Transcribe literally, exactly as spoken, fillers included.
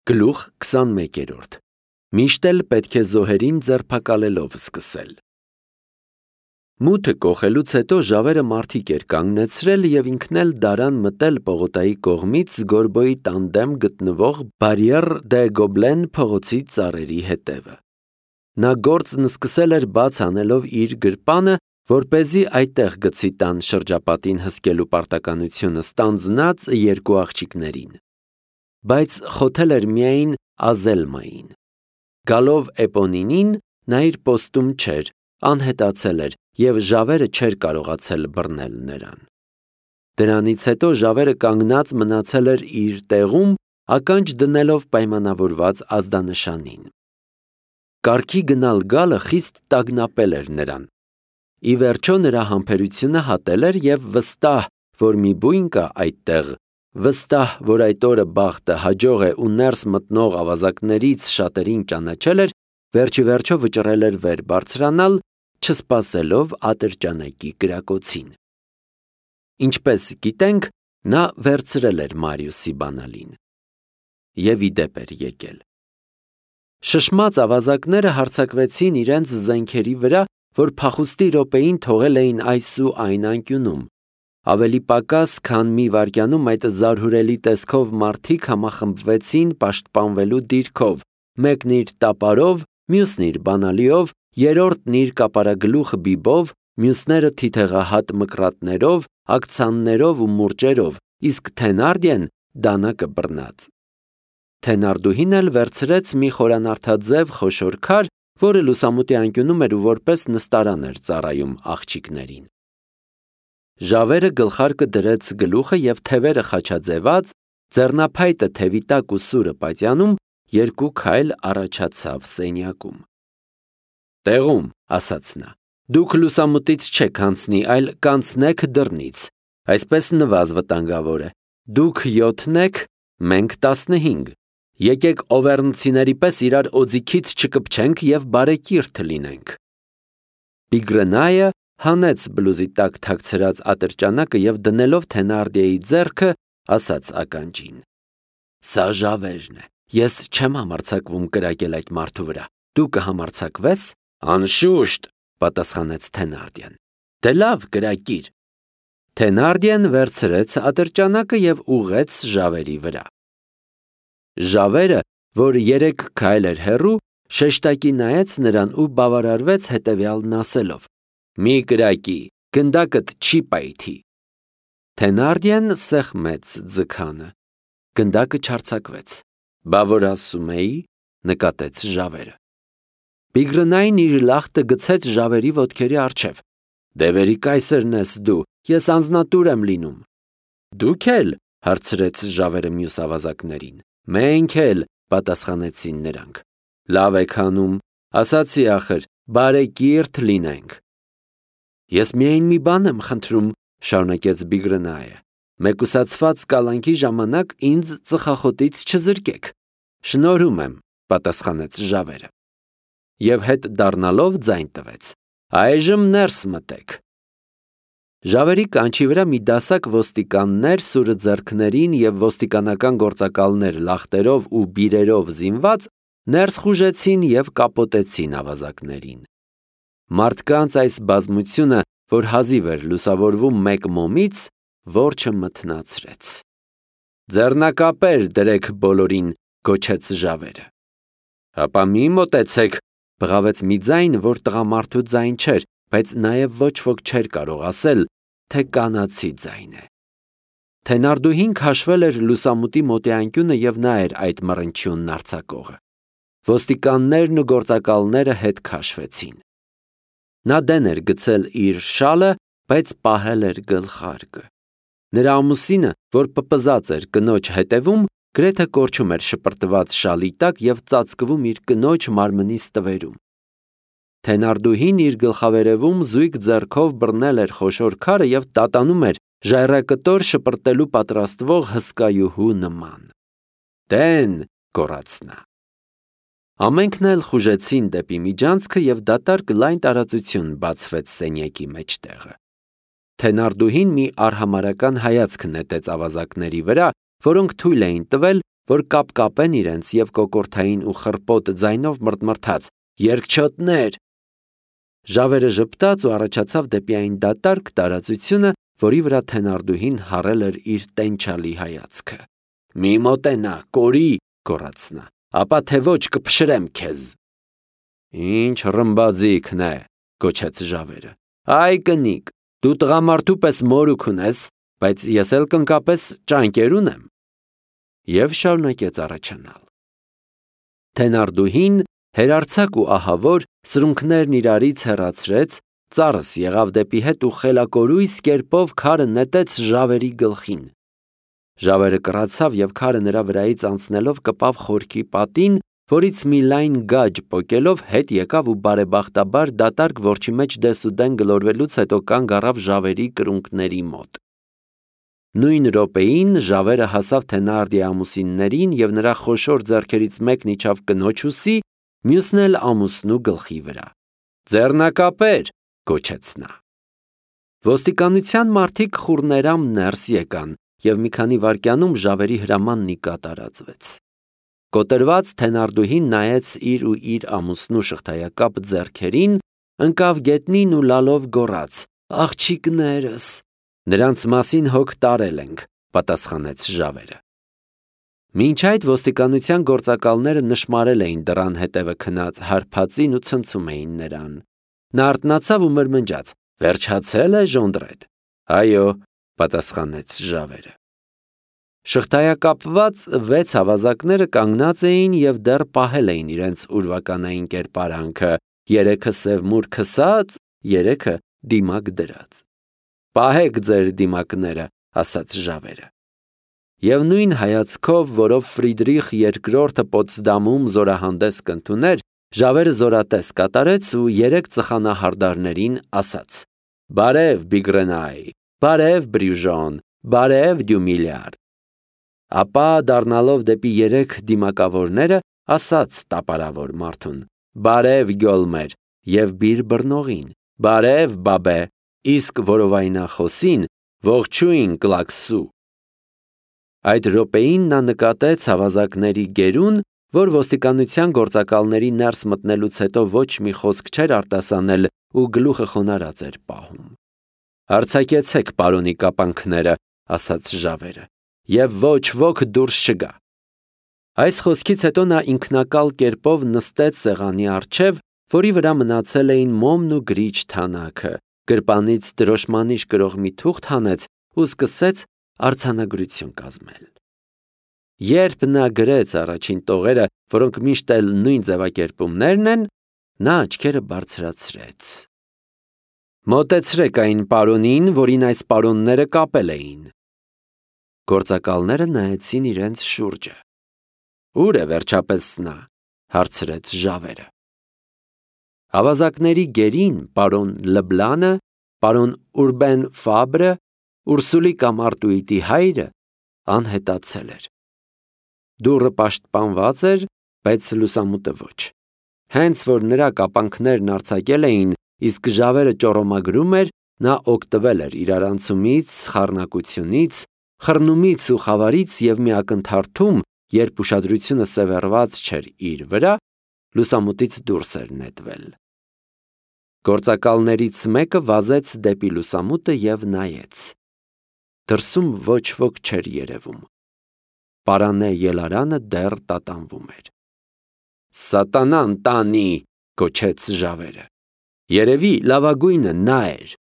Գլուխ քսանմեկերորդ Միշտ էլ պետք է զոհերին ձերբակալելով սկսել։ Մութը կոխելուց հետո ժավերը մարդիկ էր կանգնեցրել և ինքն էլ դարան մտել Պողոտայի կողմից Գորբոյի տան դեմ գտնվող Բարիեր դե Գոբլեն փողոցի ծառերի հետևը։ Նա գործն սկսել էր բաց անելով իր գրպանը, որպեսզի այդտեղ գցի տան շրջապատին հսկելու պարտականությունը ստանձնած երկու աղջիկներին։ Բայց խոթել էր միայն Ազելմային։ Գալով Էպոնինին, նա իր պոստում չէր, անհետացել էր և ժավերը չէր կարողացել բռնել նրան։ Դրանից հետո ժավերը կանգնած մնացել էր իր տեղում, ականջ դնելով պայմանավորված ազդանշանին։ Կառքի գնալ գալը խիստ տագնապել էր նրան։ Ի վերջո նրա համբերությունը հատել էր և վստահ, որ մի բույն կա այդտեղ, վստահ, որ այդ օրը բախտը հաջող է ու ներս մտնող ավազակներից շատերին ճանաչել էր, վերջիվերջո վճռել էր վեր բարձրանալ, չսպասելով ատրճանակի կրակոցին։ Ինչպես գիտենք, նա վերցրել էր Մարիուսի բանալին և ի դեպ էր եկել։ Շշմած ավազակները հարձակվեցին իրենց զենքերի վրա, որ փախուստի րոպեին թողել էին այս ու այն անկյունում։ Ավելի պակաս, քան մի վայրկյանում այդ զարհուրելի տեսքով մարդիկ համախմբվեցին պաշտպանվելու դիրքով, մեկն իր տապարով, մյուսն իր բանալիով, երրորդն իր կապարագլուխ բիբով, մյուսները թիթեղահատ մկրատներով, ակցաններով ու մուրճերով, իսկ Թենարդիեն դանակը բռնած։ Թենարդուհին էլ վերցրեց մի խորանարդաձև խոշոր քար, որը լուսամուտի անկյունում էր ու որպես նստարան էր ծառայում աղջիկներին։ Ժավերը գլխարկը դրեց գլուխը և թևերը խաչաձևած, ձեռնափայտը թևի տակ ու սուրը պատյանում, երկու քայլ առաջացավ սենյակում։ Տեղում, ասաց նա, դուք լուսամուտից չեք անցնի, այլ կանցնեք դռնից, այսպես նվազ վտանգավոր է, դուք յոթն եք, մենք տասնհինգ, եկեք օվերնցիների պես իրար օձիքից չկպչենք և բարեկիրթ լինենք։ Բիգրենայը հանեց բլուզի տակ թաքցրած ատրճանակը և դնելով Թենարդիեի ձեռքը, ասաց ականջին. Սա ժավերն է, ես չեմ համարձակվում կրակել այդ մարդու վրա, դու կհամարձակվե՞ս։ Անշուշտ, պատասխանեց Թենարդիեն։ Դե լավ, կրակիր։ Թենարդիեն վերցրեց ատրճանակը և ուղղեց ժավերի վրա։ Ժավերը, որ երեք քայլ էր հեռու, շեշտակի նայեց նրան ու բավարարվեց հետևյալն ասելով. Մի կրակի, գնդակդ չի պայթի։ Թենարդիեն սեղմեց ձգանը։ Գնդակը չարձակվեց։ Բա որ ասում էի, նկատեց ժավերը։ Բիգրենային իր լախտը գցեց ժավերի ոտքերի առջև։ Դևերի կայսրն ես դու, ես անձնատուր եմ լինում։ Դուք էլ, հարցրեց ժավերը մյուս ավազակներին։ Մենք էլ, պատասխանեցին նրանք։ Լավ եք անում, ասացի ախր, բարեկիրթ լինենք։ Ես միայն մի բան եմ խնդրում, շարունակեց Բիգրենայը, մեկուսացված կալանքի ժամանակ ինձ ծխախոտից չզրկեք։ Շնորհում եմ, պատասխանեց ժավերը։ Եվ հետ դառնալով ձայն տվեց. Այժմ ներս մտեք։ Ժավերի կանչի վրա մի դասակ ոստիկաններ սուրը ձեռքներին և ոստիկանական գործակալներ լախտերով ու բիրերով զինված ներս խուժեցին և կապոտեցին ավազակներին։ Մարդկանց այս բազմությունը, որ հազիվ էր լուսավորվում մեկ մոմից, որջը մթնացրեց։ Ձեռնակապեր դրեք բոլորին, գոչեց ժավերը։ Հապա մի մոտեցեք, բղավեց մի ձայն, որ տղամարդու ձայն չէր, բայց նաև ոչ ոք չէր կարող ասել, թե կանացի ձայն է։ Թենարդուհին քաշվել էր լուսամուտի մոտի անկյունը և նա էր այդ մռնչյունն արձակողը։ Ոստիկաններն ու գործակալները հետ քաշվեցին։ Նա դեն էր գցել իր շալը, բայց պահել էր գլխարկը։ Նրա ամուսինը, որ պպզած էր կնոջ հետևում, գրեթե կորչում էր շպրտված շալի տակ և ծածկվում իր կնոջ մարմնի ստվերում։ Թենարդուհին իր գլխավերևում զույգ ձեռքով բռնել էր խոշոր քարը և տատանում էր ժայռակտոր շպրտելու պատրաստվող հսկայուհու նման։ Դեն, գոռաց նա։ Ամենքն էլ խուժեցին դեպի միջանցքը և դատարկ լայն տարածություն բացվեց սենյակի մեջտեղը։ Թենարդուհին մի արհամարհական հայացք նետեց ավազակների վրա, որոնք թույլ էին տվել, որ կապկապեն իրենց և կոկորդային ու խռպոտ ձայնով մռթմռթաց. «Երկչոտներ»։ Ժավերը ժպտաց ու առաջացավ դեպի այն դատարկ տարածությունը, որի վրա թենարդուհին հառել էր իր տենչալի հայացքը։ «Մի մոտենա, կորի», գոռաց նա, «ապա թե ոչ կփշրեմ քեզ»։ «Ինչ ռմբաձիգն է», գոչեց ժավերը։ «Այ կնիկ, դու տղամարդու պես մորուք ունես, բայց ես էլ կնկապես ճանկեր ունեմ»։ Եվ շարունակեց առաջանալ։ Թենարդուհին, հերարձակ ու ահավոր, սրունքներն իրարից հեռացրեց, ծառս եղավ դեպի հետ ու խելակորույս կերպով քարը նետեց ժավերի գլխին։ Ժավերը կռացավ և քարը նրա վրայից անցնելով կպավ խորքի պատին, որից մի լայն գաջ պոկելով հետ եկավ ու բարեբախտաբար դատարկ որջի մեջ դեսուդեն գլորվելուց հետո կանգ առավ ժավերի կրունկների մոտ։ Նույն րոպեին ժավերը հասավ թենարդի ամուսիններին և նրա խոշոր ձեռքերից մեկն իջավ կնոջ ուսի, մյուսն էլ ամուսնու գլխի վրա։ «Ձեռնակապեր», գոչեց նա։ Ոստիկանության մարդիկ խուռներամ ներս եկան և մի քանի վայրկյանում ժավերի հրամանն ի կատարածվեց։ Կոտրված թենարդուհին նայեց իր ու իր ամուսնու շղթայակապ ձեռքերին, ընկավ գետնին ու լալով գոռաց. «Աղջիկներս»։ «Նրանց մասին հոգ տարել ենք», պատասխանեց ժավերը։ Մինչ այդ ոստիկանության գործակալները նշմարել էին դռան հետևը քնած հարբածին ու ցնցում էին նրան։ Նա արթնացավ ու մրմնջաց. «Վերջացե՞լ է, Ժոնդրետ»։ «Այո», պատասխանեց ժավերը։ Շղթայակապված վեց ավազակները կանգնած էին և դեռ պահել էին իրենց ուրվականային կերպարանքը, երեքը սևմուր քսած, երեքը դիմակ դրած։ «Պահեք ձեր դիմակները», ասաց ժավերը։ Եվ նույն հայացքով, որով Ֆրիդրիխ երկրորդը Պոտսդամում զորահանդես կընդուներ, ժավերը զորատես կատարեց ու երեք ծխանահարդարներին ասաց. «Բարև, Բիգրենայ, բարև, Բրյուժոն, բարև, Դյումիլյար»։ Ապա դառնալով դեպի երեք դիմակավորները, ասաց տապարավոր մարդուն. «Բարև, Գյոլմեր» և բիր բռնողին. «Բարև, Բաբե», իսկ որովայնախոսին. «Ողջույն, Կլաքսու»։ Այդ րոպեին նա նկատեց ավազակների գերուն, որ ոստիկանության գործակալների ներս մտնելուց հետո ոչ մի խոսք չէր արտասանել ու գլուխը խոնարհած էր պահում։ «Արձակեցեք պարոնի կապանքները», ասաց ժավերը, «և ոչ ոք դուրս չգա»։ Այս խոսքից հետո նա ինքնակալ կերպով նստեց սեղանի առջև, որի վրա մնացել էին մոմն ու գրիչ թանակը, գրպանից դրոշմանիշ կրող մի թուղթ հանեց ու սկսեց արձանագրություն կազմել։ Երբ նա գրեց առաջին տողերը, որոնք միշտ էլ նույն ձևակերպումներն են, նա աչքերը բարձրացրեց։ «Մոտեցրեք այն պարոնին, որին այս պարոնները կապել էին»։ Գործակալները նայեցին իրենց շուրջը։ «Ո՞ւր է վերջապես նա», հարցրեց ժավերը։ Ավազակների գերին պարոն Լբլանը, պարոն Ուրբեն Ֆաբրը, Ուրսուլի կամ Արտուիտի հայրը անհետացել էր։ Դուռը պաշտպանված էր, բայց լուսամուտը ոչ։ Հենց որ նրա կապանքներն արձակել էին, իսկ ժավերը ճոռոմագրում էր, նա օգտվել էր իրարանցումից, խառնակությունից, խռնումից ու խավարից և մի ակնթարթում, երբ ուշադրությունը սևեռված չէր իր վրա, լուսամուտից դուրս էր նետվել։ Գործակալներից մեկը վազեց դեպի լուսամուտը և նայեց։ Դրսում ոչ ոք չէր երևում։ Պարանե ելարանը դեռ տատանվում էր։ «Սատանան տանի», գոչեց ժավերը։ Երևի լավագույնը նա էր։